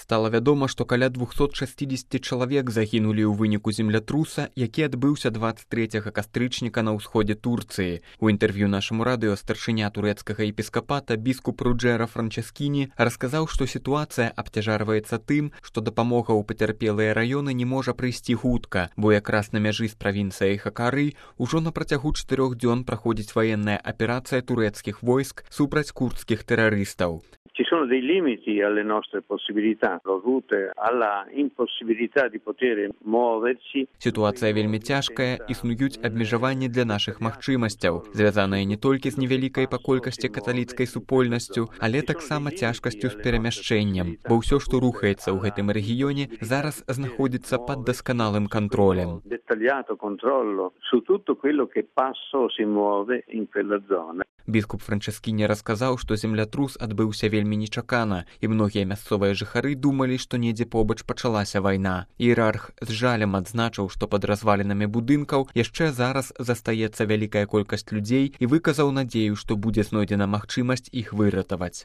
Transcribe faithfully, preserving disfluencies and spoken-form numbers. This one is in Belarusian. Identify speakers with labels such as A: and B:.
A: Стала вядома, што каля двухсот шасцідзесяці чалавек загінулі ў выніку землятруса, які адбыўся дваццаць трэцяга кастрычніка на ўсходзе Турцыі. У інтэрв'ю нашаму радыё старшыня турэцкага епіскапата біскуп Руджэра Франческіні расказаў, што сітуацыя абцяжарваецца тым, што дапамога ў пацярпелыя раёны не можа прыйсці хутка, бо якраз на мяжы з правінцыяй Хакары ўжо на працягу чатырох дзён праходзіць ваенная аперацыя турэцкіх войск супраць курдскіх тэрарыстаў.
B: Ci sono dei limiti alle nostre possibilità, dovute alla impossibilità di poter muoversi.
A: Сітуацыя вельмі цяжкая, існуюць абмежаванні для нашых магчымасцяў, звязаныя не толькі з невялікай па колькасці каталіцкай супольнасцю, але таксама цяжкасцю з перамяшчэннем, бо ўсё, што рухаецца ў гэтым рэгіёне, зараз знаходзіцца пад дасканалым кантролем.
B: Dettagliato controllo su tutto quello che passa o si muove in quella zona.
A: Біскуп Франческіні расказаў, што землятрус адбыўся вельмі нечакана, і многія мясцовыя жыхары думалі, што недзе побач пачалася вайна. Іерарх з жалем адзначыў, што пад развалінамі будынкаў яшчэ зараз застаецца вялікая колькасць людзей і выказаў надзею, што будзе знойдзена магчымасць іх выратаваць.